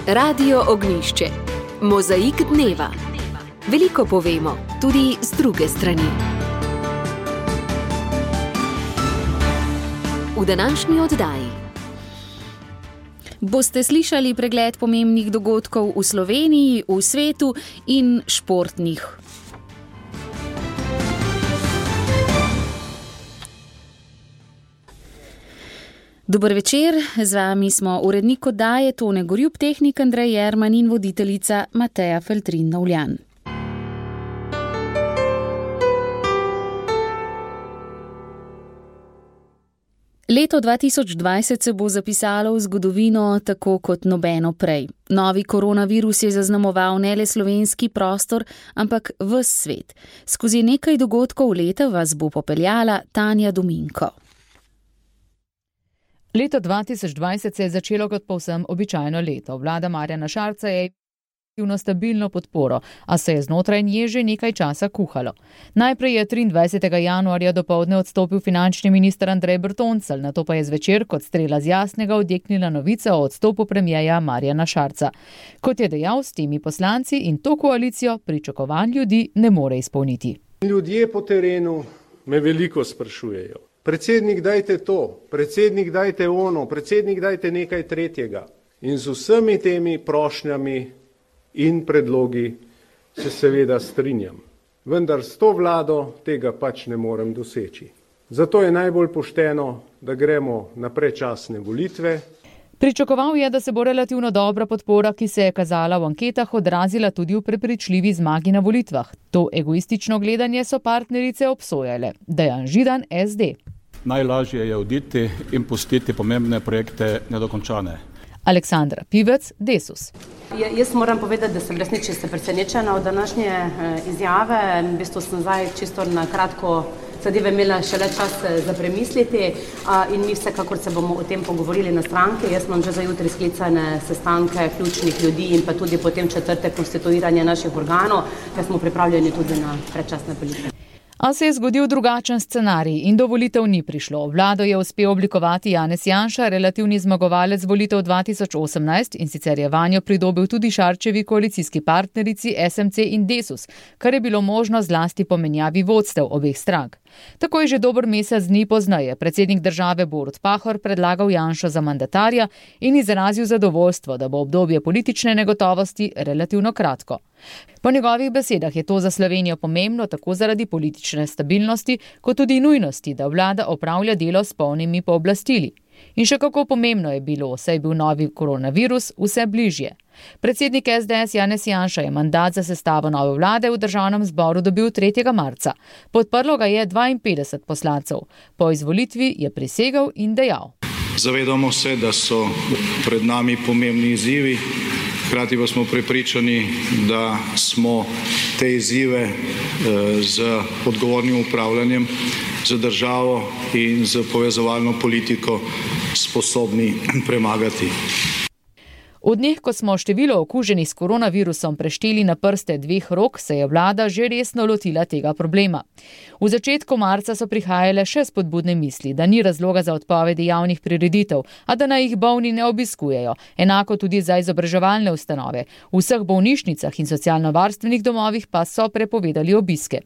Radio Ognjišče. Mozaik dneva. Veliko povemo, tudi z druge strani. V današnji oddaji boste slišali pregled pomembnih dogodkov v Sloveniji, v svetu in športnih. Dober večer, z vami smo urednik oddaje Tone Gorjup, tehnik Andrej Jerman in voditeljica Mateja Feltrin-Novljan. Leto 2020 se bo zapisalo v zgodovino tako kot nobeno prej. Novi koronavirus je zaznamoval ne le slovenski prostor, ampak ves svet. Skozi nekaj dogodkov leta vas bo popeljala Tanja Dominko. Leto 2020 se je začelo kot povsem običajno leto. Vlada Marjana Šarca je imela stabilno podporo, a se je znotraj nje že nekaj časa kuhalo. Najprej je 23. januarja dopoldne odstopil finančni minister Andrej Bertoncelj, nato pa je zvečer kot strela z jasnega odjeknila novica o odstopu premierja Marjana Šarca. Kot je dejal, s temi poslanci in to koalicijo pričakovanj ljudi ne more izpolniti. Ljudje po terenu me veliko sprašujejo. Predsednik, dajte to, predsednik, dajte ono, predsednik, dajte nekaj tretjega. In z vsemi temi prošnjami in predlogi se seveda strinjam. Vendar s to vlado tega pač ne morem doseči. Zato je najbolj pošteno, da gremo na predčasne volitve. Pričakoval je, da se bo relativno dobra podpora, ki se je kazala v anketah, odrazila tudi v prepričljivi zmagi na volitvah. To egoistično gledanje so partnerice obsojale. Dejan Židan, SD. Najlažje je oditi in pustiti pomembne projekte nedokončane. Aleksandra Pivec, Desus. Jaz moram povedati, da sem resnično presenečena od današnje izjave. V bistvu sem zdaj čisto na kratko zadeve imela šele čas za premisliti in mi vsekakor se bomo o tem pogovorili na stranki. Jaz imam že za jutri sklicane sestanke ključnih ljudi in pa tudi potem četrtek konstituiranje naših organov, ker smo pripravljeni tudi na predčasne volitve. A se je zgodil drugačen scenarij in do volitev ni prišlo. Vlado je uspel oblikovati Janez Janša, relativni zmagovalec volitev 2018, in sicer je vanjo pridobil tudi Šarčevi koalicijski partnerici SMC in Desus, kar je bilo možno zlasti po menjavi vodstev obeh strank. Tako je že dober mesec dni pozneje predsednik države Borut Pahor predlagal Janšo za mandatarja in izrazil zadovoljstvo, da bo obdobje politične negotovosti relativno kratko. Po njegovih besedah je to za Slovenijo pomembno tako zaradi politične stabilnosti, kot tudi nujnosti, da vlada opravlja delo s polnimi pooblastili. In še kako pomembno je bilo, saj je bil novi koronavirus vse bližje. Predsednik SDS Janez Janša je mandat za sestavo nove vlade v državnem zboru dobil 3. marca. Podprlo ga je 52 poslancev. Po izvolitvi je prisegel in dejal. Zavedamo se, da so pred nami pomembni izzivi, hkrati pa smo prepričani, da smo te izzive z odgovornim upravljanjem za državo in z povezovalno politiko sposobni premagati. V dneh, ko smo število okuženih s koronavirusom prešteli na prste 2 rok, se je vlada že resno lotila tega problema. V začetku marca so prihajale še spodbudne misli, da ni razloga za odpovedi javnih prireditev, a da naj jih bolni ne obiskujejo. Enako tudi za izobraževalne ustanove. V vseh bolnišnicah in socialno-varstvenih domovih pa so prepovedali obiske.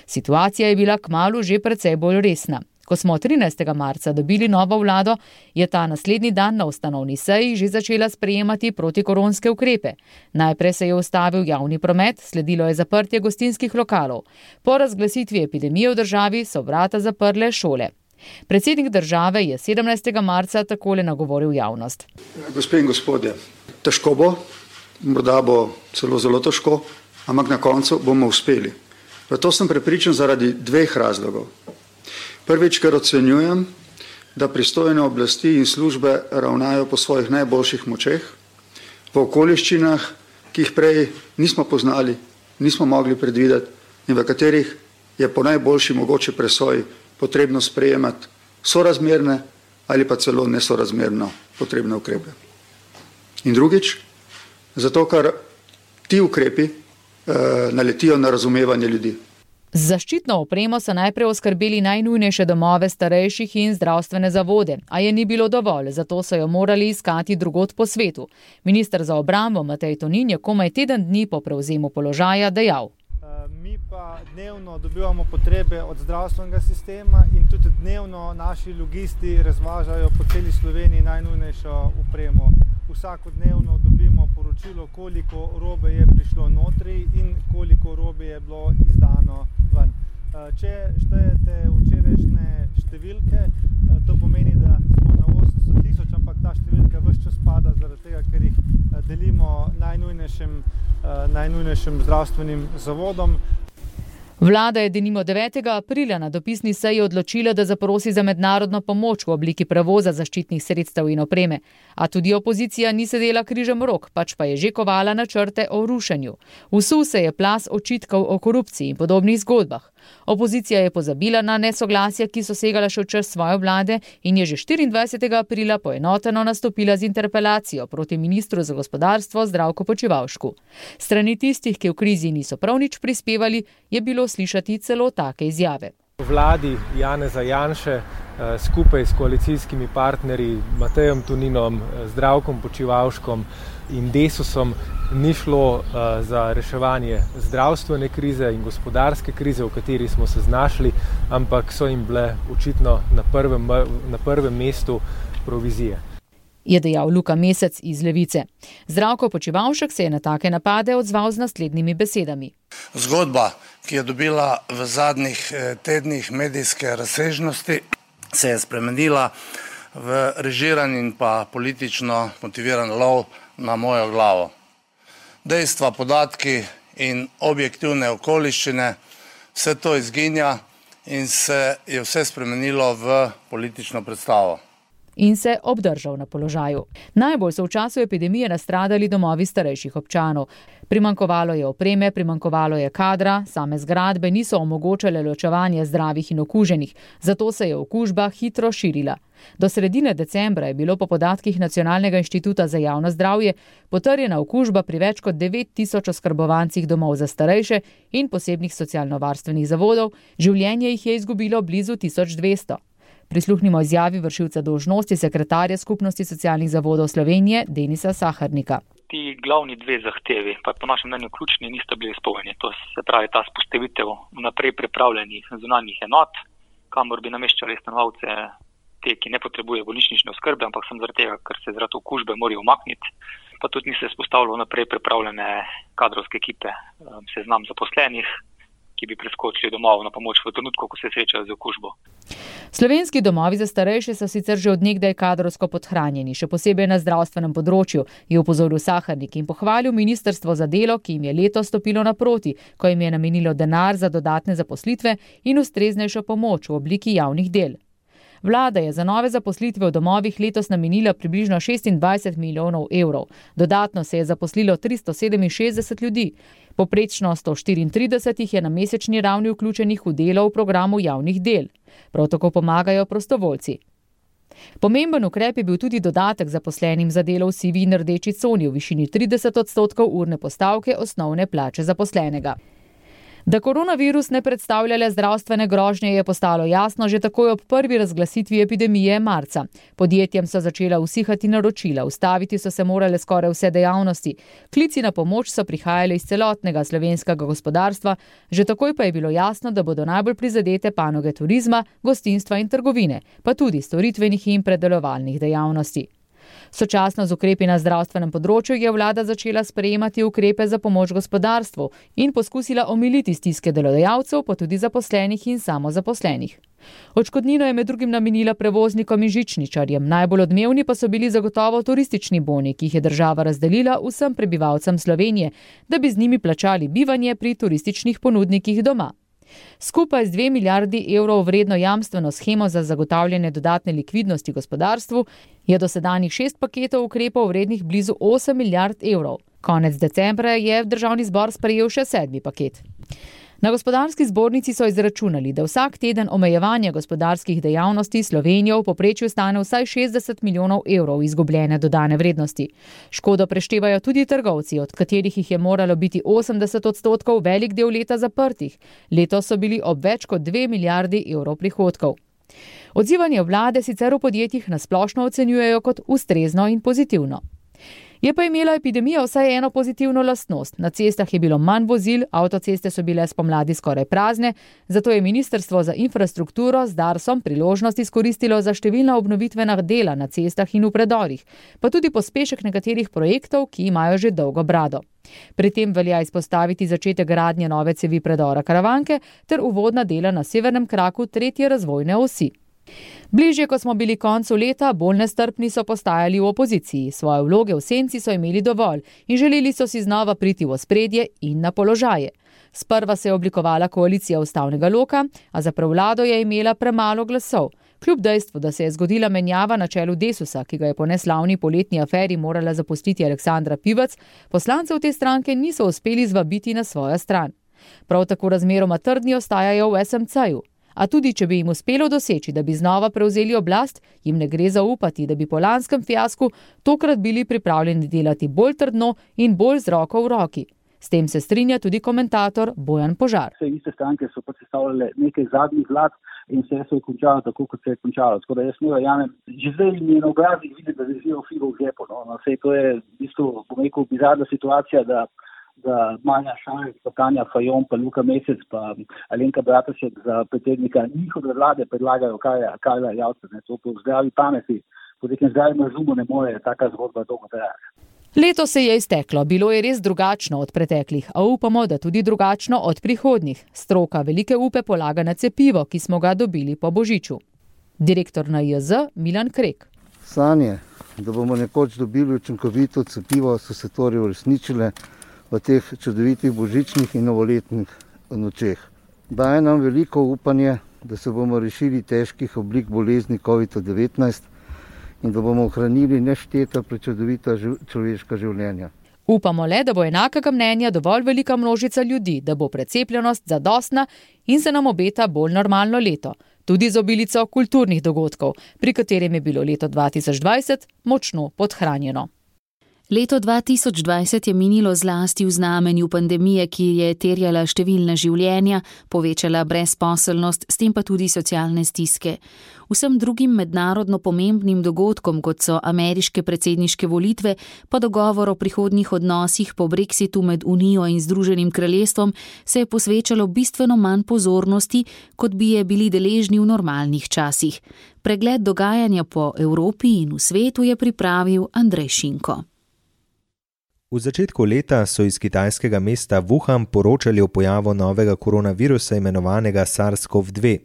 Situacija je bila kmalu že precej bolj resna. Ko smo 13. marca dobili novo vlado, je ta naslednji dan na ustanovni seji že začela sprejemati protikoronske ukrepe. Najprej se je ustavil javni promet, sledilo je zaprtje gostinskih lokalov. Po razglasitvi epidemije v državi so vrata zaprle šole. Predsednik države je 17. marca takole nagovoril javnost. Gospe in gospodje, težko bo, morda bo celo zelo težko, ampak na koncu bomo uspeli. V to sem prepričan zaradi 2 razlogov. Prvič, ker ocenjujem, da pristojne oblasti in službe ravnajo po svojih najboljših močeh, v okoliščinah, ki jih prej nismo poznali, nismo mogli predvideti in v katerih je po najboljši mogoče presoji potrebno sprejemati sorazmerne ali pa celo nesorazmerno potrebne ukrepe. In drugič, zato ker ti ukrepi naletijo na razumevanje ljudi. Z zaščitno opremo so najprej oskrbeli najnujnejše domove starejših in zdravstvene zavode, a je ni bilo dovolj, zato so jo morali iskati drugod po svetu. Minister za obrambo Matej Tonin je komaj teden dni po prevzemu položaja dejal. Mi pa dnevno dobivamo potrebe od zdravstvenega sistema in tudi dnevno naši logisti razvažajo po celi Sloveniji najnujnejšo opremo. Vsakodnevno dobimo poročilo, koliko robe je prišlo notri in koliko robe je bilo izdano ven. Če štejete včerajšnje številke, to pomeni, da smo na 800 000, ampak ta številka ves čas pada zaradi tega, ker jih delimo najnujnejšim zdravstvenim zavodom. Vlada je denimo 9. aprila na dopisni seji odločila, da zaprosi za mednarodno pomoč v obliki prevoza zaščitnih sredstev in opreme. A tudi opozicija ni sedela križem rok, pač pa je že kovala načrte o rušenju. Vsul se je plaz očitkov o korupciji in podobnih zgodbah. Opozicija je pozabila na nesoglasja, ki so segala še v čas svoje vlade in je že 24. aprila poenoteno nastopila z interpelacijo proti ministru za gospodarstvo Zdravku Počivalšku. Strani tistih, ki v krizi niso prav nič prispevali, je bilo slišati celo take izjave. Vladi Janeza Janše skupaj s koalicijskimi partnerji Matejem Toninom, Zdravkom Počivalškom in Desusom ni šlo za reševanje zdravstvene krize in gospodarske krize, v kateri smo se znašli, ampak so jim bile očitno na prvem mestu provizije. Je dejal Luka Mesec iz Levice. Zdravko Počivalšek se je na take napade odzval z naslednjimi besedami. Zgodba, ki je dobila v zadnjih tednih medijske razsežnosti, se je spremenila v režiran in pa politično motiviran lov na mojo glavo. Dejstva, podatki in objektivne okoliščine, vse to izginja in se je vse spremenilo v politično predstavo. In se obdržal na položaju. Najbolj so v času epidemije nastradali domovi starejših občanov. Primanjkovalo je opreme, primanjkovalo je kadra, same zgradbe niso omogočale ločevanje zdravih in okuženih, zato se je okužba hitro širila. Do sredine decembra je bilo po podatkih Nacionalnega inštituta za javno zdravje potrjena okužba pri več kot 9000 oskrbovancih domov za starejše in posebnih socialno-varstvenih zavodov, življenje jih je izgubilo blizu 1200. Prisluhnimo izjavi vršilca dolžnosti sekretarja Skupnosti socialnih zavodov Slovenije Denisa Saharnika. Ti glavni dve zahtevi, pa po našem mnenju ključni, nista bili izpolnjeni. To se pravi ta vzpostavitev vnaprej pripravljenih zunanjih enot, kamor bi nameščali stanovalce te, ki ne potrebujejo bolnišnične oskrbe, ampak sem zaradi tega, ker se zaradi okužbe morajo umakniti. Pa tudi ni se vzpostavilo vnaprej pripravljene kadrovske ekipe, seznam zaposlenih, ki bi preskočili domov na pomoč v trenutku, ko se srečajo z okužbo. Slovenski domovi za starejše so sicer že od nekdaj kadrovsko podhranjeni, še posebej na zdravstvenem področju, je opozoril Saharnik in pohvalil ministrstvo za delo, ki jim je letos stopilo naproti, ko jim je namenilo denar za dodatne zaposlitve in ustreznejšo pomoč v obliki javnih del. Vlada je za nove zaposlitve v domovih letos namenila približno 26 milijonov evrov. Dodatno se je zaposlilo 367 ljudi. Poprečno 134 jih je na mesečni ravni vključenih v delo v programu javnih del. Prav tako pomagajo prostovoljci. Pomemben ukrep je bil tudi dodatek zaposlenim za delo v sivi in rdeči coni v višini 30% urne postavke osnovne plače zaposlenega. Da koronavirus ne predstavlja le zdravstvene grožnje, je postalo jasno že takoj ob prvi razglasitvi epidemije marca. Podjetjem so začela usihati naročila, ustaviti so se morale skoraj vse dejavnosti. Klici na pomoč so prihajali iz celotnega slovenskega gospodarstva, že takoj pa je bilo jasno, da bodo najbolj prizadete panoge turizma, gostinstva in trgovine, pa tudi storitvenih in predelovalnih dejavnosti. Sočasno z ukrepi na zdravstvenem področju je vlada začela sprejemati ukrepe za pomoč gospodarstvu in poskusila omiliti stiske delodajalcev, pa tudi zaposlenih in samozaposlenih. Odškodnino je med drugim namenila prevoznikom in žičničarjem, najbolj odmevni pa so bili zagotovo turistični boni, ki jih je država razdelila vsem prebivalcem Slovenije, da bi z njimi plačali bivanje pri turističnih ponudnikih doma. Skupaj z 2 milijardi evrov vredno jamstveno shemo za zagotavljanje dodatne likvidnosti gospodarstvu je dosedanjih 6 paketov ukrepov vrednih blizu 8 milijard evrov. Konec decembra je državni zbor sprejel še 7. paket. Na gospodarski zbornici so izračunali, da vsak teden omejevanja gospodarskih dejavnosti Slovenijo v povprečju stane vsaj 60 milijonov evrov izgubljene dodane vrednosti. Škodo preštevajo tudi trgovci, od katerih jih je moralo biti 80% velik del leta zaprtih. Letos so bili ob več kot 2 milijardi evrov prihodkov. Odzivanje vlade sicer v podjetjih nasplošno ocenjujejo kot ustrezno in pozitivno. Je pa imela epidemija vsaj eno pozitivno lastnost. Na cestah je bilo manj vozil, avtoceste so bile spomladi skoraj prazne, zato je Ministrstvo za infrastrukturo z Darsom priložnost izkoristilo za številna obnovitvena dela na cestah in v predorih, pa tudi pospešek nekaterih projektov, ki imajo že dolgo brado. Pri tem velja izpostaviti začetek gradnje nove cevi predora Karavanke ter uvodna dela na severnem kraku 3. razvojne osi. Bližje, ko smo bili koncu leta, bolj nestrpni so postajali v opoziciji. Svoje vloge v senci so imeli dovolj in želeli so si znova priti v ospredje in na položaje. Sprva se je oblikovala koalicija ustavnega loka, a za prevlado je imela premalo glasov. Kljub dejstvu, da se je zgodila menjava na čelu Desusa, ki ga je po neslavni poletni aferi morala zapustiti Aleksandra Pivac, poslancev te stranke niso uspeli zvabiti na svojo stran. Prav tako razmeroma trdni ostajajo v SMC-ju. A tudi, če bi jim uspelo doseči, da bi znova prevzeli oblast, jim ne gre zaupati, da bi po lanskem fiasku tokrat bili pripravljeni delati bolj trdno in bolj z roko v roki. S tem se strinja tudi komentator Bojan Požar. Vse iste stranke so predstavljale nekaj zadnjih vlad in vse se je končalo tako, kot se je končalo. Tako da jaz ne verjamem, že zdaj mi je na obrazih videti, da držijo figo v žepu. No, vse to je v bistvu, bom rekel, bizarna situacija, da Manja Šarec, pa Tanja Fajon, pa Luka Mesec, pa Alenka Bratušek za predsednika njihove vlade predlagajo Karla Erjavca. To po zdravi pameti, po nekem zdravem razumu ne more taka zgodba dolgo trajati. Leto se je izteklo, bilo je res drugačno od preteklih, a upamo, da tudi drugačno od prihodnjih. Stroka velike upe polaga na cepivo, ki smo ga dobili po božiču. Direktor NIJZ Milan Krek. Sanje, da bomo nekoč dobili učinkovito cepivo, so se torej uresničile v teh čudovitih božičnih in novoletnih nočeh. Daje nam veliko upanje, da se bomo rešili težkih oblik bolezni COVID-19 in da bomo ohranili nešteta prečudovita človeška življenja. Upamo le, da bo enakega mnenja dovolj velika množica ljudi, da bo precepljenost zadostna in se nam obeta bolj normalno leto. Tudi z obilico kulturnih dogodkov, pri katerem je bilo leto 2020 močno podhranjeno. Leto 2020 je minilo zlasti v znamenju pandemije, ki je terjala številna življenja, povečala brezposelnost, s tem pa tudi socialne stiske. Vsem drugim mednarodno pomembnim dogodkom, kot so ameriške predsedniške volitve, pa dogovor o prihodnjih odnosih po Brexitu med Unijo in Združenim kraljestvom, se je posvečalo bistveno manj pozornosti, kot bi je bili deležni v normalnih časih. Pregled dogajanja po Evropi in v svetu je pripravil Andrej Šinko. V začetku leta so iz kitajskega mesta Wuhan poročali o pojavu novega koronavirusa imenovanega SARS-CoV-2.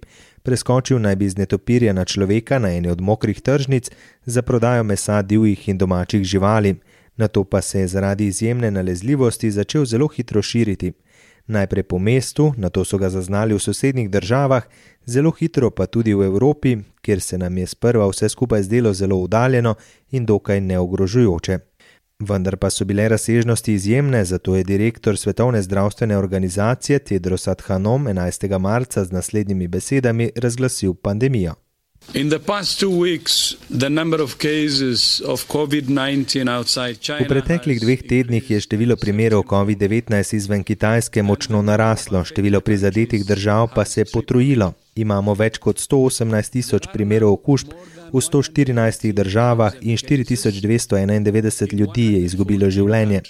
Preskočil naj bi iz netopirja na človeka na eni od mokrih tržnic za prodajo mesa divjih in domačih živali. Nato pa se je zaradi izjemne nalezljivosti začel zelo hitro širiti. Najprej po mestu, nato so ga zaznali v sosednjih državah, zelo hitro pa tudi v Evropi, kjer se nam je sprva vse skupaj zdelo zelo oddaljeno in dokaj neogrožujoče. Vendar pa so bile razsežnosti izjemne, zato je direktor Svetovne zdravstvene organizacije Tedros Adhanom 11. marca z naslednjimi besedami razglasil pandemijo. V preteklih 2 tednih je število primerov COVID-19 izven Kitajske močno naraslo, število prizadetih držav pa se je potrojilo. Imamo več kot 118.000 primerov okužb v 114 državah in 4.291 ljudi je izgubilo življenje.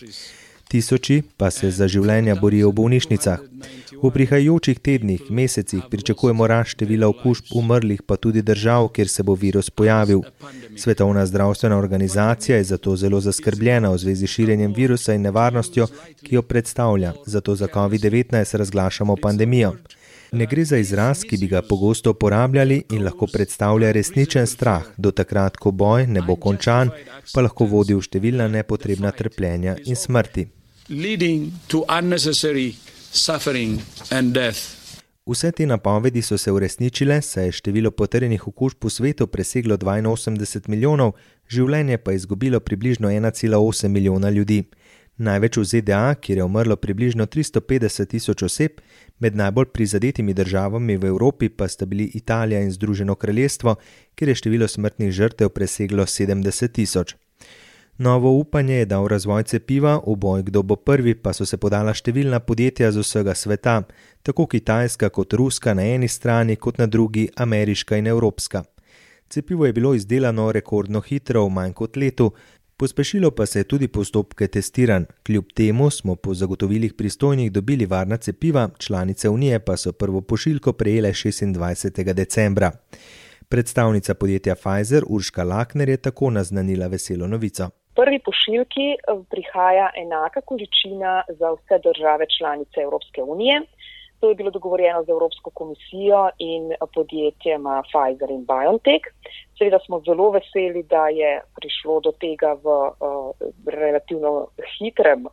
Tisoči pa se za življenja borijo v bolnišnicah. V prihajajočih tednih, mesecih pričakujemo rast števila okužb umrlih pa tudi držav, kjer se bo virus pojavil. Svetovna zdravstvena organizacija je zato zelo zaskrbljena v zvezi s širjenjem virusa in nevarnostjo, ki jo predstavlja, zato za COVID-19 razglašamo pandemijo. Ne gre za izraz, ki bi ga pogosto uporabljali in lahko predstavlja resničen strah, do takrat, ko boj ne bo končan, pa lahko vodi v številna nepotrebna trpljenja in smrti. Vse te napovedi so se uresničile, saj je število potrjenih okužb v svetu preseglo 82 milijonov, življenje pa izgubilo približno 1,8 milijona ljudi. Največ v ZDA, kjer je umrlo približno 350 tisoč oseb, med najbolj prizadetimi državami v Evropi pa sta bili Italija in Združeno kraljestvo, kjer je število smrtnih žrtev preseglo 70 tisoč. Novo upanje je dal razvoj cepiva, v boj kdo bo prvi pa so se podala številna podjetja z vsega sveta, tako kitajska kot ruska na eni strani, kot na drugi ameriška in evropska. Cepivo je bilo izdelano rekordno hitro, v manj kot letu, pospešilo pa se je tudi postopke testiranj. Kljub temu smo po zagotovilih pristojnih dobili varna cepiva, članice Unije pa so prvo pošiljko prejele 26. decembra. Predstavnica podjetja Pfizer Urška Lakner je tako naznanila veselo novico. Prvi pošiljki prihaja enaka količina za vse države članice Evropske unije. To je bilo dogovorjeno z Evropsko komisijo in podjetjema Pfizer in BioNTech. Seveda smo zelo veseli, da je prišlo do tega v relativno hitrem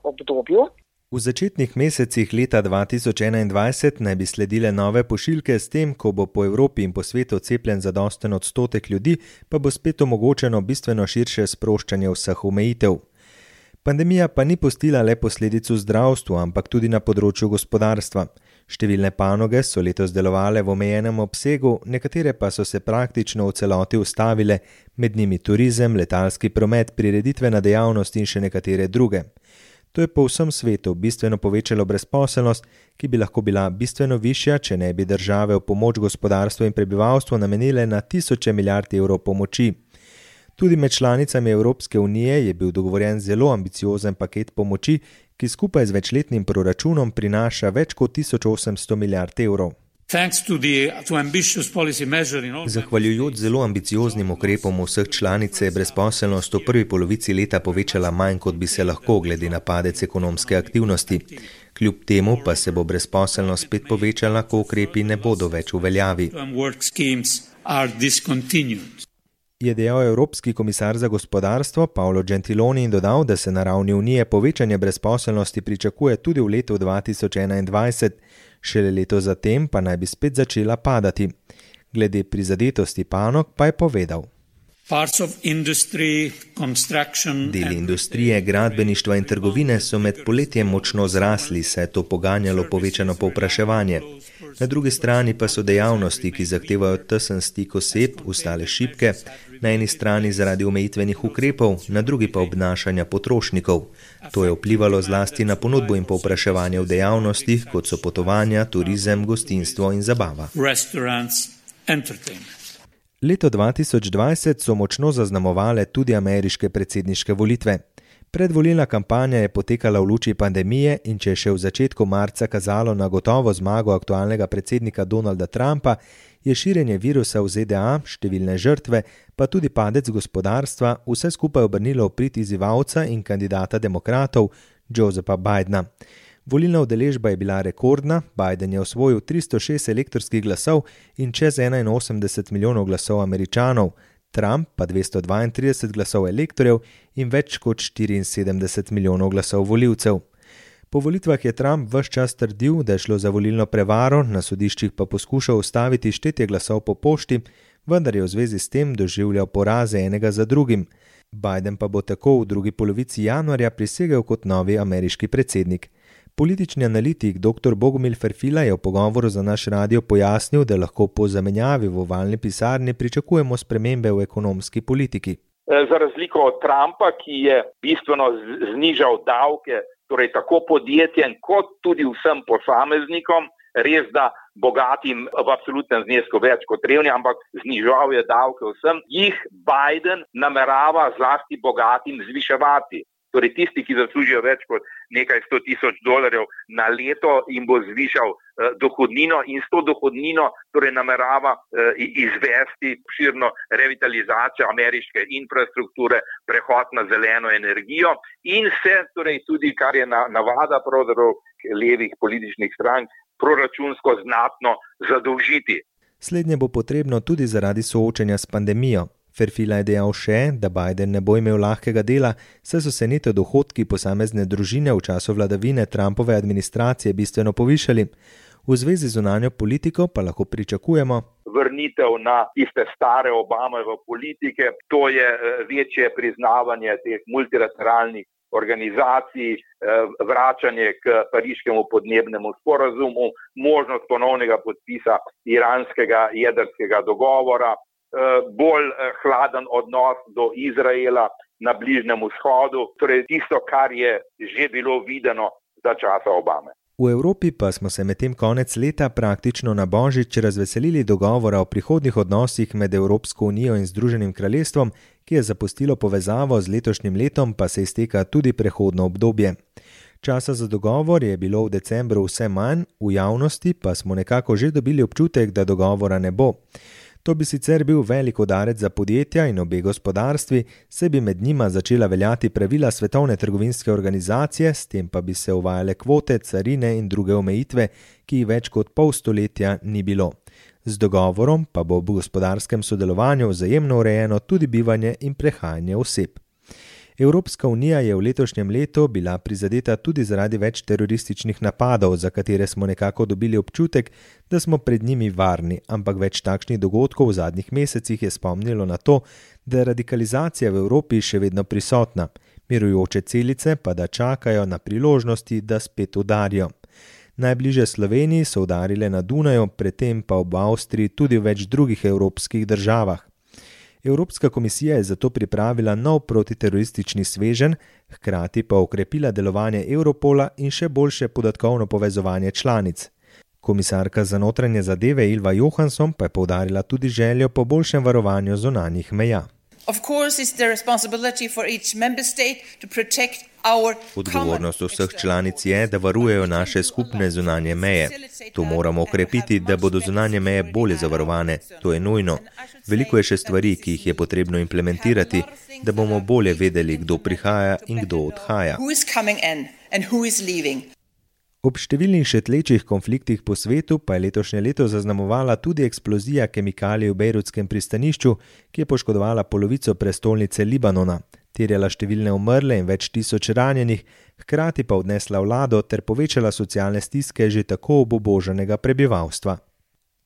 obdobju. V začetnih mesecih leta 2021 naj bi sledile nove pošiljke, s tem, ko bo po Evropi in po svetu cepljen zadosten odstotek ljudi, pa bo spet omogočeno bistveno širše sproščanje vseh omejitev. Pandemija pa ni pustila le posledic v zdravstvu, ampak tudi na področju gospodarstva. Številne panoge so letos delovale v omejenem obsegu, nekatere pa so se praktično v celoti ustavile, med njimi turizem, letalski promet, prireditvena dejavnost in še nekatere druge. To je po vsem svetu bistveno povečalo brezposelnost, ki bi lahko bila bistveno višja, če ne bi države v pomoč gospodarstvu in prebivalstvu namenile na tisoče milijard evrov pomoči. Tudi med članicami Evropske unije je bil dogovorjen zelo ambiciozen paket pomoči, ki skupaj z večletnim proračunom prinaša več kot 1800 milijard evrov. Zahvaljujoč zelo ambicioznim ukrepom vseh članic se je brezposelnost v prvi polovici leta povečala manj, kot bi se lahko glede na padec ekonomske aktivnosti. Kljub temu pa se bo brezposelnost spet povečala, ko ukrepi ne bodo več v veljavi. Je dejal Evropski komisar za gospodarstvo Paolo Gentiloni in dodal, da se na ravni Unije povečanje brezposelnosti pričakuje tudi v letu 2021, šele leto zatem pa naj bi spet začela padati. Glede prizadetosti panog pa je povedal. Deli industrije, gradbeništva in trgovine so med poletjem močno zrasli, saj je to poganjalo povečano povpraševanje. Na drugi strani pa so dejavnosti, ki zahtevajo tesen stik oseb, ostale šibke, na eni strani zaradi omejitvenih ukrepov, na drugi pa obnašanja potrošnikov. To je vplivalo zlasti na ponudbo in povpraševanje v dejavnostih, kot so potovanja, turizem, gostinstvo in zabava. Leto 2020 so močno zaznamovale tudi ameriške predsedniške volitve. Predvolilna kampanja je potekala v luči pandemije in če je še v začetku marca kazalo na gotovo zmago aktualnega predsednika Donalda Trumpa, je širjenje virusa v ZDA, številne žrtve, pa tudi padec gospodarstva vse skupaj obrnilo v prid izzivalca in kandidata demokratov Josepha Bidena. Volilna udeležba je bila rekordna, Biden je osvojil 306 elektorskih glasov in čez 81 milijonov glasov Američanov, Trump pa 232 glasov elektorjev in več kot 74 milijonov glasov volivcev. Po volitvah je Trump ves čas trdil, da je šlo za volilno prevaro, na sodiščih pa poskušal ustaviti štetje glasov po pošti, vendar je v zvezi s tem doživljal poraze enega za drugim. Biden pa bo tako v drugi polovici januarja prisegel kot novi ameriški predsednik. Politični analitik dr. Bogomil Ferfila je v pogovoru za naš radio pojasnil, da lahko po zamenjavi v ovalni pisarni pričakujemo spremembe v ekonomski politiki. Za razliko od Trumpa, ki je bistveno znižal davke, torej tako podjetjem kot tudi vsem posameznikom, res da bogatim v absolutnem znesku več kot revnim, ampak znižal je davke vsem, jih Biden namerava zlasti bogatim zviševati. Torej tisti, ki zaslužijo več kot nekaj $100,000 na leto, jim bo zvišal dohodnino in s to dohodnino torej namerava izvesti širno revitalizacijo ameriške infrastrukture, prehod na zeleno energijo in se torej tudi, kar je navada pravzaprav levih političnih strank, proračunsko znatno zadolžiti. Slednje bo potrebno tudi zaradi soočenja s pandemijo. Ferfila je dejal še, da Biden ne bo imel lahkega dela, saj so se neto dohodki posamezne družine v času vladavine Trumpove administracije bistveno povišali. V zvezi z zunanjo politiko pa lahko pričakujemo vrnitev na tiste stare Obamove politike, to je večje priznavanje teh multilateralnih organizacij, vračanje k pariškemu podnebnemu sporazumu, možnost ponovnega podpisa iranskega jedrskega dogovora, bolj hladen odnos do Izraela na Bližnjem vzhodu, torej tisto, kar je že bilo videno za časa Obame. V Evropi pa smo se medtem konec leta praktično na Božič razveselili dogovora o prihodnjih odnosih med Evropsko unijo in Združenim kraljestvom, ki je zapustilo povezavo z letošnjim letom, pa se izteka tudi prehodno obdobje. Časa za dogovor je bilo v decembru vse manj, v javnosti pa smo nekako že dobili občutek, da dogovora ne bo. To bi sicer bil velik udarec za podjetja in obe gospodarstvi, saj bi med njima začela veljati pravila Svetovne trgovinske organizacije, s tem pa bi se uvajale kvote, carine in druge omejitve, ki jih več kot pol stoletja ni bilo. Z dogovorom pa bo v gospodarskem sodelovanju vzajemno urejeno tudi bivanje in prehajanje oseb. Evropska unija je v letošnjem letu bila prizadeta tudi zaradi več terorističnih napadov, za katere smo nekako dobili občutek, da smo pred njimi varni, ampak več takšnih dogodkov v zadnjih mesecih je spomnilo na to, da je radikalizacija v Evropi še vedno prisotna, mirujoče celice pa da čakajo na priložnosti, da spet udarijo. Najbliže Sloveniji so udarile na Dunaju, predtem pa v Avstriji tudi v več drugih evropskih državah. Evropska komisija je zato pripravila nov protiteroristični sveženj, hkrati pa okrepila delovanje Europola in še boljše podatkovno povezovanje članic. Komisarka za notranje zadeve Ylva Johansson pa je poudarila tudi željo po boljšem varovanju zunanjih meja. Odgovornost vseh članic je, da varujejo naše skupne zunanje meje. To moramo okrepiti, da bodo zunanje meje bolje zavarovane. To je nujno. Veliko je še stvari, ki jih je potrebno implementirati, da bomo bolje vedeli, kdo prihaja in kdo odhaja. Ob številnih še tlečih konfliktih po svetu pa je letošnje leto zaznamovala tudi eksplozija kemikalij v bejrutskem pristanišču, ki je poškodovala polovico prestolnice Libanona, terjala številne umrle in več tisoč ranjenih, hkrati pa odnesla vlado ter povečala socialne stiske že tako obubožanega prebivalstva.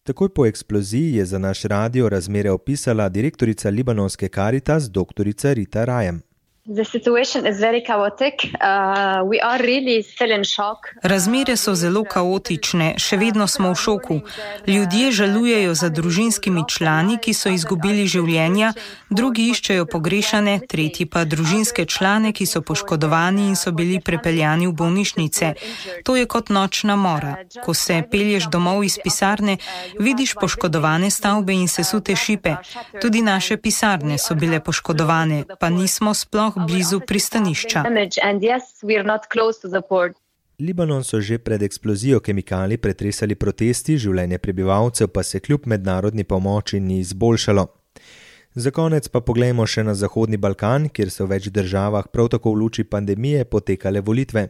Takoj po eksploziji je za naš radio razmere opisala direktorica libanonske Caritas dr. Rita Rajem. Razmere so zelo kaotične, še vedno smo v šoku. Ljudje žalujejo za družinskimi člani, ki so izgubili življenja, drugi iščejo pogrešane, tretji pa družinske člane, ki so poškodovani in so bili prepeljani v bolnišnice. To je kot nočna mora. Ko se pelješ domov iz pisarne, vidiš poškodovane stavbe in sesute šipe. Tudi naše pisarne so bile poškodovane, pa nismo sploh blizu pristanišča. Libanon so že pred eksplozijo kemikalij pretresali protesti, življenje prebivalcev pa se kljub mednarodni pomoči ni izboljšalo. Za konec pa poglejmo še na Zahodni Balkan, kjer so v več državah prav tako v luči pandemije potekale volitve.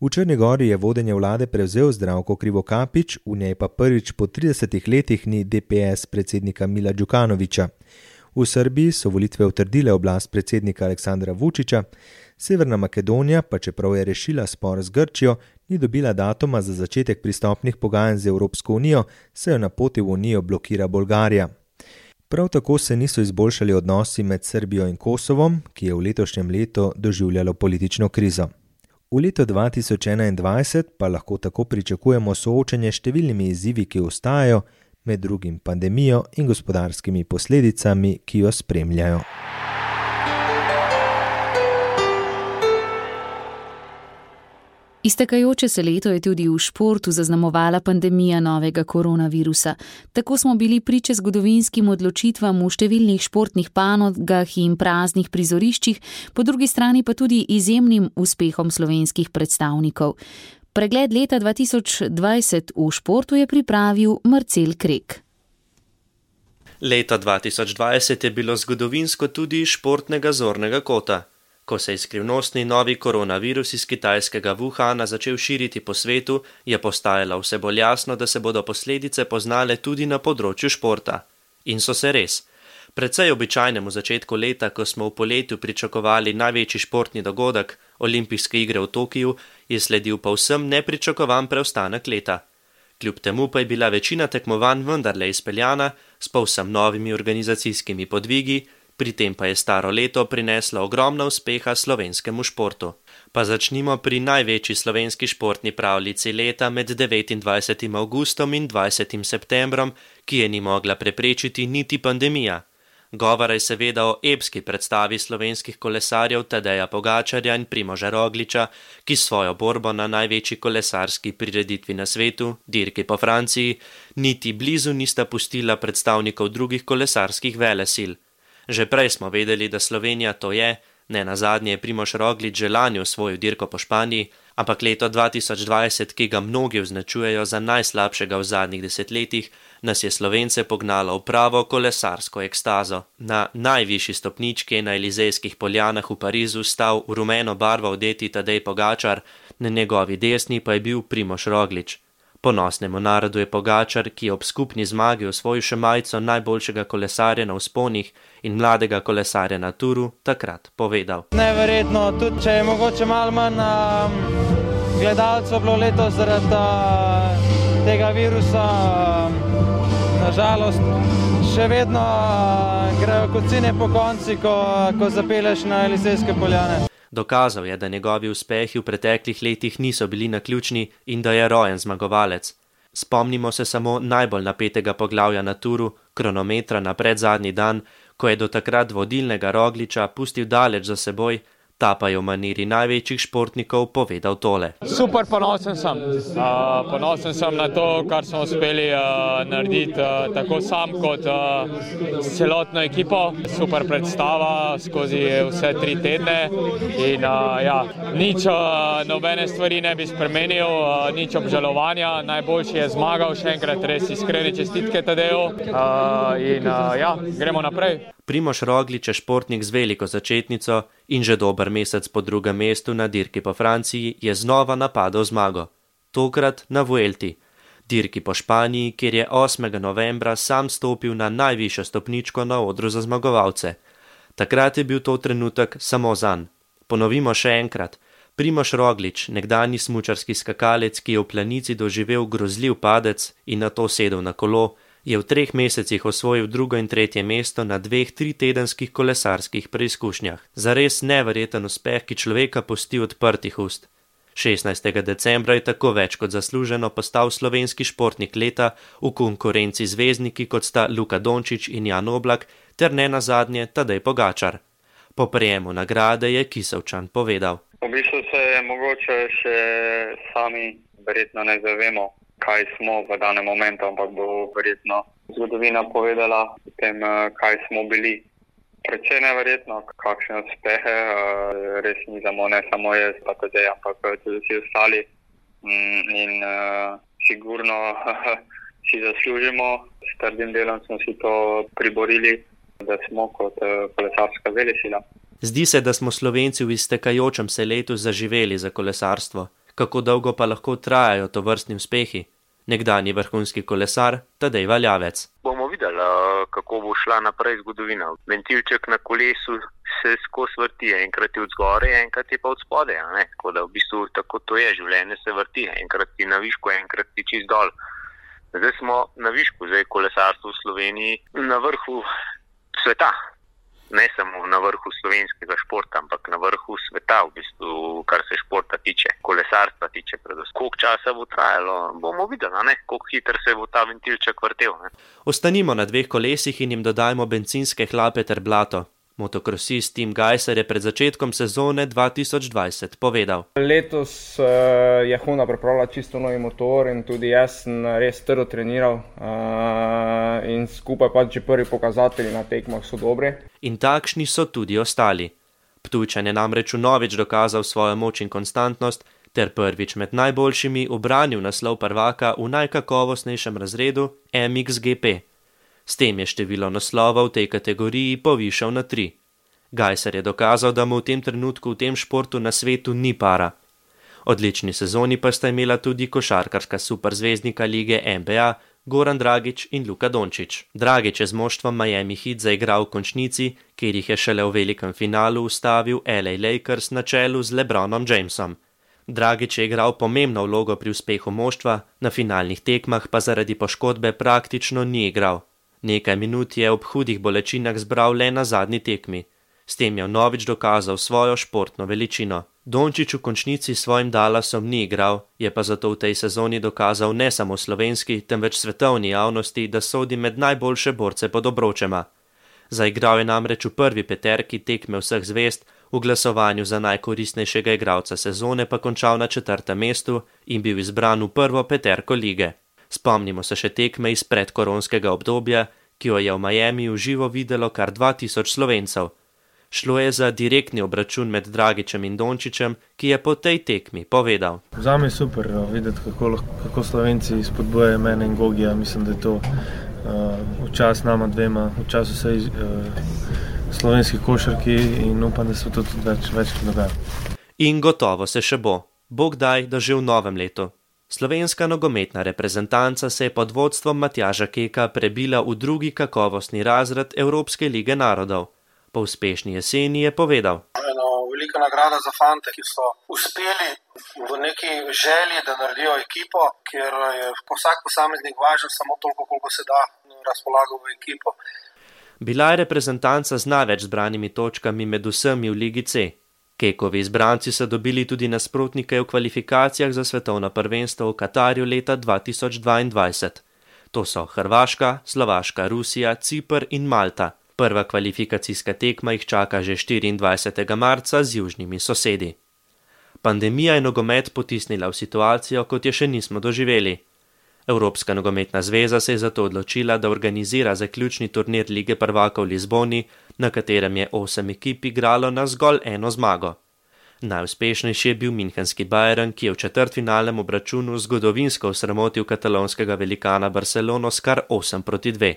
V Črni Gori je vodenje vlade prevzel Zdravko Krivokapić, v njej pa prvič po 30 letih ni DPS predsednika Mila Đukanovića. V Srbiji so volitve utrdile oblast predsednika Aleksandra Vučića, Severna Makedonija pa čeprav je rešila spor z Grčijo, ni dobila datuma za začetek pristopnih pogajanj z Evropsko unijo, saj jo na poti v unijo blokira Bolgarija. Prav tako se niso izboljšali odnosi med Srbijo in Kosovom, ki je v letošnjem letu doživljalo politično krizo. V letu 2021 pa lahko tako pričakujemo soočenje s številnimi izzivi, ki ostajajo, med drugim pandemijo in gospodarskimi posledicami, ki jo spremljajo. Iztekajoče se leto je tudi v športu zaznamovala pandemija novega koronavirusa. Tako smo bili priče zgodovinskim odločitvam v številnih športnih panogah in praznih prizoriščih, po drugi strani pa tudi izjemnim uspehom slovenskih predstavnikov. Pregled leta 2020 v športu je pripravil Marcel Krek. Leto 2020 je bilo zgodovinsko tudi iz športnega zornega kota. Ko se je skrivnostni novi koronavirus iz kitajskega Wuhana začel širiti po svetu, je postajalo vse bolj jasno, da se bodo posledice poznale tudi na področju športa. In so se res. Precej običajnemu začetku leta, ko smo v poletju pričakovali največji športni dogodek, olimpijske igre v Tokiju, je sledil povsem nepričakovan preostanek leta. Kljub temu pa je bila večina tekmovanj vendarle izpeljana s povsem novimi organizacijskimi podvigi, Pri tem pa je staro leto prineslo ogromno uspeha slovenskemu športu. Pa začnimo pri največji slovenski športni pravljici leta med 29. avgustom in 20. septembrom, ki je ni mogla preprečiti niti pandemija. Govora je seveda o epski predstavi slovenskih kolesarjev Tadeja Pogačarja in Primoža Rogliča, ki svojo borbo na največji kolesarski prireditvi na svetu, dirki po Franciji, niti blizu nista pustila predstavnikov drugih kolesarskih velesil. Že prej smo vedeli, da Slovenija to je, ne nazadnje je Primož Roglič že lani osvojil dirko po Španiji, ampak leto 2020, ki ga mnogi označujejo za najslabšega v zadnjih desetletjih, nas je Slovence pognalo v pravo kolesarsko ekstazo. Na najvišji stopnički na Elizejskih poljanah v Parizu stal v rumeno barvo odeti Tadej Pogačar, na njegovi desni pa je bil Primož Roglič. Ponosnemu narodu je Pogačar, ki je ob skupni zmagi osvojil še majico najboljšega kolesarja na vzponih in mladega kolesarja na Turu, takrat povedal. Neverjetno, tudi če je mogoče malo manj gledalcev bilo letos zaradi tega virusa, nažalost še vedno grejo kocine po konci, ko zapeleš na Elizejske poljane. Dokazal je, da njegovi uspehi v preteklih letih niso bili naključni in da je rojen zmagovalec. Spomnimo se samo najbolj napetega poglavja na Turu, kronometra na predzadnji dan, ko je do takrat vodilnega Rogliča pustil daleč za seboj, ta pa je v maniri največjih športnikov povedal tole. Super ponosen sem. Ponosen sem na to, kar smo uspeli narediti tako sam kot s celotno ekipo. Super predstava skozi vse 3 tedne in nič nobene stvari ne bi spremenil, nič obžalovanja. Najboljši je zmagal, še enkrat res iskrene čestitke Tadeju in gremo naprej. Primož Roglič je športnik z veliko začetnico in že dober mesec po drugem mestu na dirki po Franciji je znova napadal zmago. Tokrat na Vuelti, dirki po Španiji, kjer je 8. novembra sam stopil na najvišjo stopničko na odru za zmagovalce. Takrat je bil to trenutek samo zanj. Ponovimo še enkrat. Primož Roglič, nekdanji smučarski skakalec, ki je v planici doživel grozljiv padec in nato sedel na kolo, je v 3 mesecih osvojil 2. in 3. mesto na 2 3-tedenskih kolesarskih preizkušnjah. Zares neverjeten uspeh, ki človeka pusti odprtih ust. 16. decembra je tako več kot zasluženo postal slovenski športnik leta v konkurenci zvezdniki, kot sta Luka Dončić in Jan Oblak, ter ne nazadnje Tadej Pogačar. Po prejemu nagrade je Kisovčan povedal. V bistvu se mogoče še sami verjetno ne zavemo, kaj smo v danem momentu, ampak bo verjetno zgodovina povedala o tem, kaj smo bili. Predvsej neverjetno, kakšne uspehe, res nizamo, ne samo jaz, pa Tadej, ampak tudi vsi ostali. In sigurno si zaslužimo, s trdim delom smo si to priborili, da smo kot kolesarska velesila. Zdi se, da smo Slovenci v iztekajočem se letu zaživeli za kolesarstvo. Kako dolgo pa lahko trajajo tovrstni uspehi? Nekdanji vrhunski kolesar Tadej Valjavec. Bomo videli, kako bo šla naprej zgodovina. Ventilček na kolesu se skozi vrti, enkrat je od zgore, enkrat je pa od spode. Tako da v bistvu tako to je, življenje se vrti, enkrat ti na višku, enkrat ti čist dol. Zdaj smo na višku, zdaj kolesarstvo v Sloveniji na vrhu sveta. Ne samo na vrhu slovenskega športa, ampak na vrhu sveta, v bistvu, kar se športa tiče, kolesarstva tiče predvsem. Koliko časa bo trajalo, bomo videli, koliko hitro se bo ta ventilček vrtel. Ostanimo na 2 kolesih in jim dodajmo bencinske hlape ter blato. Motokrosist Tim Gajser je pred začetkom sezone 2020 povedal. Letos je Honda pripravila čisto novi motor in tudi jaz sem res trdo treniral in skupaj pa že prvi pokazatelji na tekmah so dobri. In takšni so tudi ostali. Ptujčan je namreč vnovič dokazal svojo moč in konstantnost ter prvič med najboljšimi ubranil naslov prvaka v najkakovostnejšem razredu MXGP. S tem je število naslovov v tej kategoriji povišal na 3. Gajser je dokazal, da mu v tem trenutku v tem športu na svetu ni para. Odlični sezoni pa sta imela tudi košarkarska superzvezdnika lige NBA Goran Dragić in Luka Dončić. Dragić je z moštvom Miami Heat zaigral v končnici, kjer jih je šele v velikem finalu ustavil LA Lakers na čelu z LeBronom Jamesom. Dragić je igral pomembno vlogo pri uspehu moštva, na finalnih tekmah pa zaradi poškodbe praktično ni igral. Nekaj minut je ob hudih bolečinah zbral le na zadnji tekmi. S tem je vnovič dokazal svojo športno veličino. Dončić v končnici svojim Dallasom ni igral, je pa zato v tej sezoni dokazal ne samo slovenski, temveč svetovni javnosti, da sodi med najboljše borce pod obročema. Zaigral je namreč v prvi peterki tekme vseh zvezd, v glasovanju za najkoristnejšega igralca sezone pa končal na 4. mestu in bil izbran v prvo peterko lige. Spomnimo se še tekme iz predkoronskega obdobja, ki jo je v Miami v živo videlo kar 2000 Slovencev. Šlo je za direktni obračun med Dragićem in Dončićem, ki je po tej tekmi povedal. Zame je super videti, kako Slovenci spodbujajo mene in Gogija. Mislim, da je to v čas nama dvema, v času vsej slovenski košarki in upam, da se to tudi več dogaja. In gotovo se še bo. Bog daj, da že v novem letu. Slovenska nogometna reprezentanca se je pod vodstvom Matjaža Keka prebila v drugi kakovostni razred Evropske lige narodov. Po uspešni jeseni je povedal. Eno velika nagrada za fante, ki so uspeli v neki želji, da naredijo ekipo, kjer je vsak posameznik važen samo toliko, koliko se da razpolago v ekipo. Bila je reprezentanca z največ zbranimi točkami med vsemi v Ligi C. Kekovi izbranci so dobili tudi nasprotnike v kvalifikacijah za svetovno prvenstvo v Katarju leta 2022. To so Hrvaška, Slovaška, Rusija, Ciper in Malta. Prva kvalifikacijska tekma jih čaka že 24. marca z južnimi sosedi. Pandemija je nogomet potisnila v situacijo, kot je še nismo doživeli. Evropska nogometna zveza se je zato odločila, da organizira zaključni turnir Lige prvakov v Lizboni, na katerem je 8 ekip igralo na zgolj eno zmago. Najuspešnejši je bil münchenski Bayern, ki je v četrtfinalnem obračunu zgodovinsko osramotil katalonskega velikana Barcelono s kar 8-2.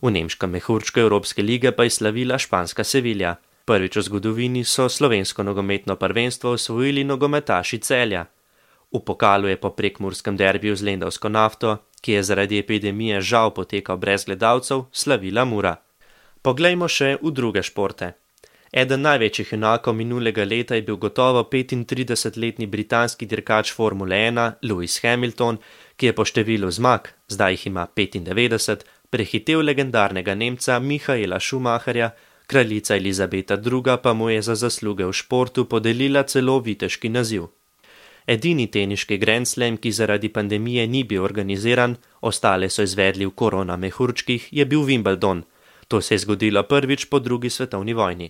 V nemškem mehurčku Evropske lige pa je slavila španska Sevilla. Prvič v zgodovini so slovensko nogometno prvenstvo osvojili nogometaši Celja. V pokalu je po prekmurskem derbiju z lendavsko Nafto, ki je zaradi epidemije žal potekal brez gledalcev, slavila Mura. Poglejmo še v druge športe. Eden največjih junakov minulega leta je bil gotovo 35-letni britanski dirkač Formule 1 Lewis Hamilton, ki je po številu zmag, zdaj jih ima 95, prehitel legendarnega Nemca Michaela Schumacherja, kraljica Elizabeta II. Pa mu je za zasluge v športu podelila celo viteški naziv. Edini teniški Grand Slam, ki zaradi pandemije ni bil organiziran, ostale so izvedli v korona mehurčkih, je bil Wimbledon. To se je zgodilo prvič po drugi svetovni vojni.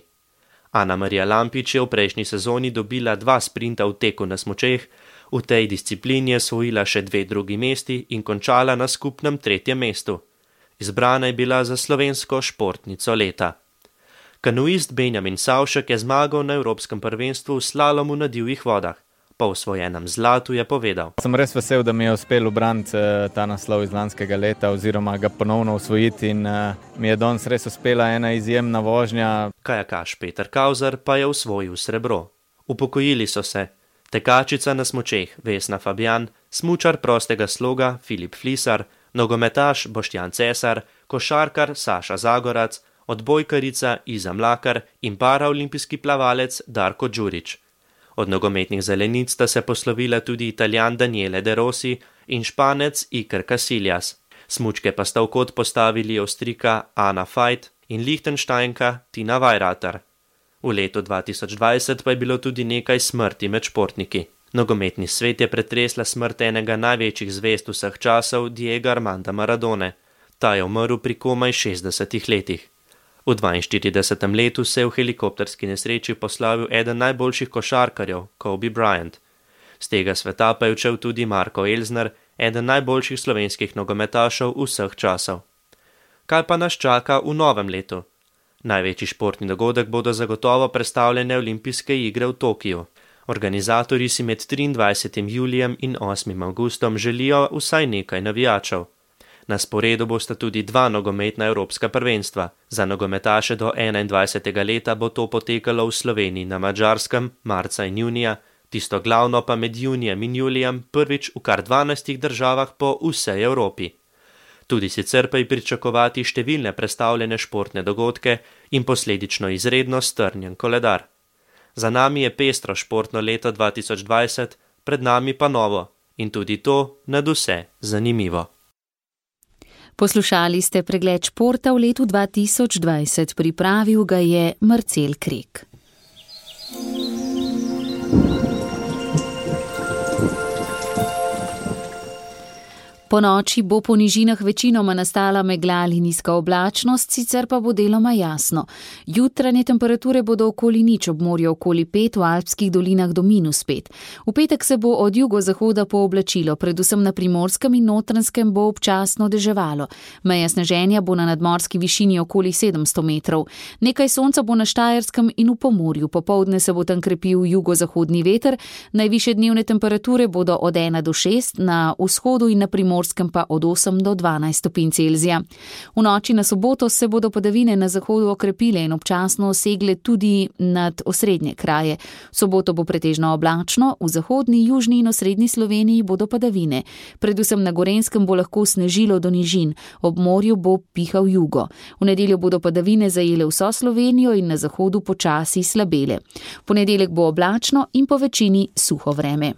Ana Marija Lampič je v prejšnji sezoni dobila 2 sprinta v teku na smučeh, v tej disciplini je osvojila še 2 drugi mesti in končala na skupnem 3. mestu. Izbrana je bila za slovensko športnico leta. Kanuist Benjamin Savšek je zmagal na Evropskem prvenstvu v slalomu na divjih vodah. Po osvojenem zlatu je povedal. Sem res vesel, da mi je uspelo ubraniti ta naslov iz lanskega leta oziroma ga ponovno osvojiti in mi je danes res uspela ena izjemna vožnja. Kajakaš Peter Kauzer pa je osvojil srebro. Upokojili so se tekačica na smučeh Vesna Fabjan, smučar prostega sloga Filip Flisar, nogometaš Boštjan Cesar, košarkar Saša Zagorac, odbojkarica Iza Mlakar in paraolimpijski plavalec Darko Đurić. Od nogometnih zelenic sta se poslovila tudi Italijan Daniele De Rossi in Španec Iker Casillas. Smučke pa sta v kot postavili Avstrijka Ana Veit in Lichtensteinka Tina Weirater. V letu 2020 pa je bilo tudi nekaj smrti med športniki. Nogometni svet je pretresla smrt enega največjih zvezd vseh časov, Diego Armanda Maradone. Ta je umrl pri komaj 60 letih. V 42. letu se je v helikopterski nesreči poslavil eden najboljših košarkarjev, Kobe Bryant. Z tega sveta pa je odšel tudi Marko Elzner, eden najboljših slovenskih nogometašev vseh časov. Kaj pa nas čaka v novem letu? Največji športni dogodek bodo zagotovo predstavljene olimpijske igre v Tokiju. Organizatorji si med 23. julijem in 8. avgustom želijo vsaj nekaj navijačev. Na sporedu bosta tudi 2 nogometna evropska prvenstva. Za nogometaše do 21. leta bo to potekalo v Sloveniji na Madžarskem marca in junija, tisto glavno pa med junijem in julijem prvič v kar 12 državah po vsej Evropi. Tudi sicer pa je pričakovati številne predstavljene športne dogodke in posledično izredno strnjen koledar. Za nami je pestro športno leto 2020, pred nami pa novo in tudi to nadvse zanimivo. Poslušali ste pregled športa v letu 2020, pripravil ga je Marcel Krek. Po noči bo po nižinah večinoma nastala megla ali nizka oblačnost, sicer pa bo deloma jasno. Jutranje temperature bodo okoli 0, ob morju okoli 5, v alpskih dolinah do -5. V petek se bo od jugozahoda pooblačilo, predvsem na Primorskem in Notranjskem bo občasno deževalo. Meja sneženja bo na nadmorski višini okoli 700 metrov. Nekaj sonca bo na Štajerskem in v Pomurju. Popoldne se bo tam krepil jugozahodni veter. Najvišje dnevne temperature bodo od 1 do 6, na vzhodu in na Primorskem pa od 8 do 12 stopinj Celzija. V noči na soboto se bodo padavine na zahodu okrepile in občasno segle tudi nad osrednje kraje. V soboto bo pretežno oblačno, v zahodni, južni in osrednji Sloveniji bodo padavine. Predvsem na Gorenjskem bo lahko snežilo do nižin, ob morju bo pihal jugo. V nedeljo bodo padavine zajele vso Slovenijo in na zahodu počasi slabele. V ponedeljek bo oblačno in po večini suho vreme.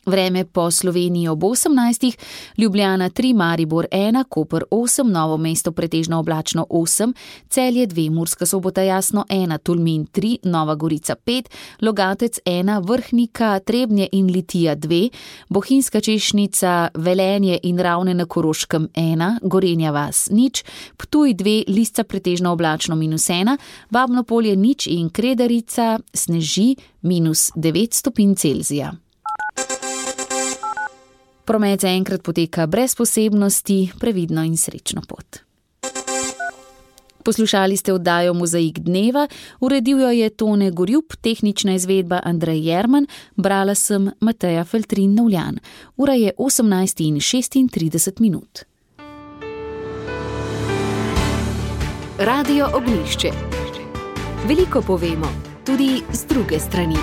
Vreme po Sloveniji ob 18, Ljubljana 3, Maribor 1, Koper 8, Novo mesto pretežno oblačno 8, Celje 2, Murska Sobota jasno 1, Tolmin 3, Nova Gorica 5, Logatec 1, Vrhnika, Trebnje in Litija 2, Bohinjska Češnica, Velenje in Ravne na Koroškem 1, Gorenja vas 0, Ptuj 2, Lisca pretežno oblačno -1, Babno Polje 0 in Kredarica sneži -9 stopinj Celzija. Promet zaenkrat poteka brez posebnosti, previdno in srečno pot. Poslušali ste oddajo Mozaik dneva, uredil jo je Tone Gorjup, tehnična izvedba Andrej Jerman, brala sem Mateja Feltrin-Novljan. Ura je 18:36. Radio Ognjišče. Veliko povemo, tudi z druge strani.